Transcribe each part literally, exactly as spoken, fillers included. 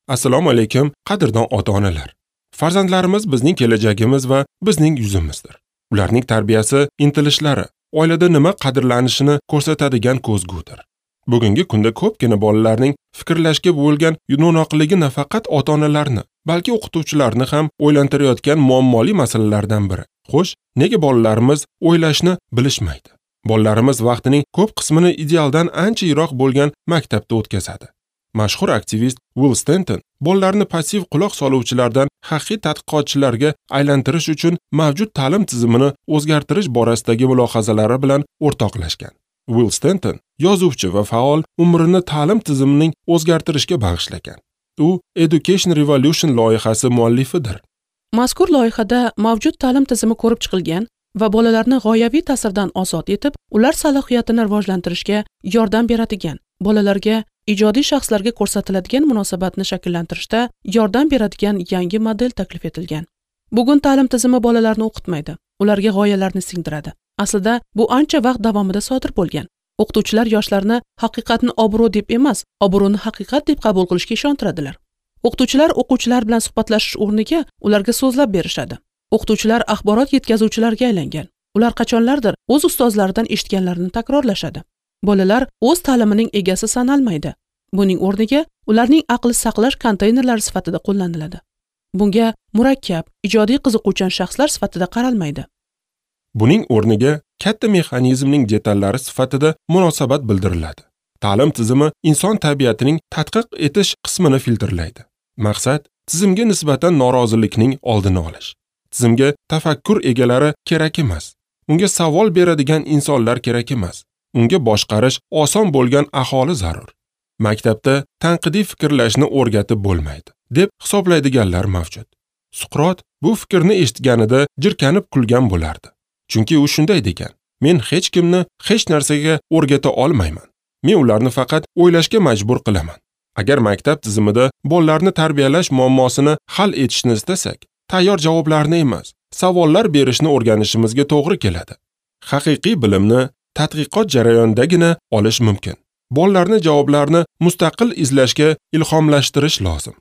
Assalomu alaykum, qadrdon ota-onalar. Farzandlarimiz bizning kelajagimiz va bizning yuzimizdir. Ularning tarbiyasi, intilishlari, oilada nima qadrlanishini ko'rsatadigan ko'zgudir. Bugungi kunda ko'pgina bolalarning fikrlashga bo'lgan no'noqligi nafaqat ota-onalarni, balki o'qituvchilarni ham o'ylantirayotgan muammoli masalalardan biri. Xo'sh, nega bolalarimiz o'ylashni bilishmaydi? Bolalarimiz vaqtining ko'p qismini idealdan ancha yiroq bo'lgan maktabda o'tkazadi. Mashhur aktivist Will Stanton bolalarni passiv quloq soluvchilardan haqiqiy tadqiqotchilarga aylantirish uchun mavjud ta'lim tizimini o'zgartirish borasidagi mulohazalari bilan o'rtoqlashgan. Will Stanton yozuvchi va faol umrini ta'lim tizimining o'zgartirishga bag'ishlagan. U Education Revolution loyihasi muallifidir. Mazkur loyihada mavjud ta'lim tizimi ko'rib chiqilgan va bolalarni g'oyaviy ta'sirdan ozod etib, ular salohiyatini rivojlantirishga yordam beradigan, bolalarga ijodiy shaxslarga ko'rsatiladigan munosabatni shakllantirishda yordam beradigan yangi model taklif etilgan. Bugun ta'lim tizimi bolalarni o'qitmaydi, ularga g'oyalarni singdiradi. Aslida bu ancha vaqt davomida sodir bo'lgan. O'qituvchilar yoshlarni haqiqatni obro' deb emas, obro'ni haqiqat deb qabul qilishga ishontiradilar. O'qituvchilar o'quvchilar bilan suhbatlashish o'rniga ularga so'zlab berishadi. O'qituvchilar axborot yetkazuvchilarga aylangan. Ular qachonlardir o'z ustozlaridan eshitganlarini takrorlashadi. Bolalar o'z ta'limining egasi sanalmaydi. Buning o'rniga ularning aqli saqlash konteynerlari sifatida qo'llaniladi. Bunga murakkab, ijodiy qiziquvchan shaxslar sifatida qaralmaydi. Buning o'rniga katta mexanizmning detallari sifatida munosabat bildiriladi. Ta'lim tizimi inson tabiatining tadqiq etish qismini filtrlaydi. Maqsad tizimga nisbatan norozilikning oldini olish. Tizimga tafakkur egalari kerak emas. Unga savol beradigan insonlar kerak emas. Unga boshqarish oson bo'lgan aholi zarur. Maktabda tanqidiy fikrlashni o'rgatib bo'lmaydi, deb hisoblaydiganlar mavjud. Suqrot bu fikrni eshitganida jirkanib kulgan bo'lardi. Chunki u shunday degan: men hech kimni hech narsaga o'rgata olmayman. Men ularni faqat o'ylashga majbur qilaman. Agar maktab tizimida bolalarni tarbiyalash muammosini hal etishni istasak, tayyor javoblarni emas, savollar berishni o'rganishimizga to'g'ri keladi. Haqiqiy bilimni tadqiqot jarayonidagina olish mumkin. Bolalarni javoblarni mustaqil izlashga ilhomlashtirish lozim.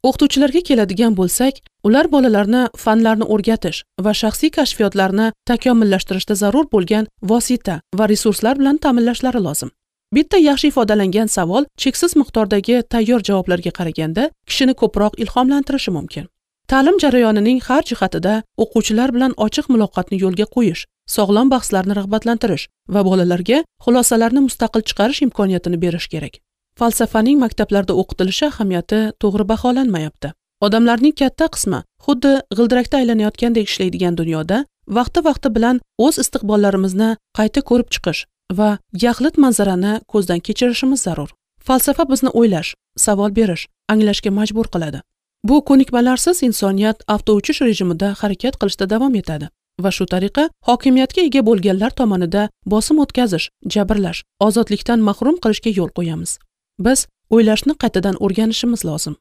O'qituvchilarga keladigan bo'lsak, ular bolalarni fanlarni o'rgatish va shaxsiy kashfiyotlarni takomillashtirishda zarur bo'lgan vosita va resurslar bilan ta'minlashlari lozim. Bitta yaxshi ifodalangan savol cheksiz miqdordagi tayyor javoblarga qaraganda kishini ko'proq ilhomlantirishi mumkin. Ta'lim jarayonining har jihatida o'quvchilar bilan ochiq muloqotni yo'lga qo'yish, sog'lom bahslarni rag'batlantirish va bolalarga xulosalarni mustaqil chiqarish imkoniyatini berish kerak. Falsafaning maktablarda o'qitilishi ahamiyati to'g'ri baholanmayapti. Odamlarning katta qismi xuddi g'ildirakda aylanayotgandek ishlaydigan dunyoda vaqti-vaqti bilan o'z istiqbollarimizni qayta ko'rib chiqish va yaxlit manzarani ko'zdan kechirishimiz zarur. Falsafa bizni o'ylash, savol berish, anglashga majbur qiladi. Bu ko'nikmalarsiz insoniyat avtouchish rejimida harakat qilishda davom etadi va shu tariqa hokimiyatga ega bo'lganlar tomonida bosim o'tkazish, jabrlash, ozodlikdan mahrum qilishga yo'l qo'yamiz. Biz o'ylashni qaytadan o'rganishimiz lozim.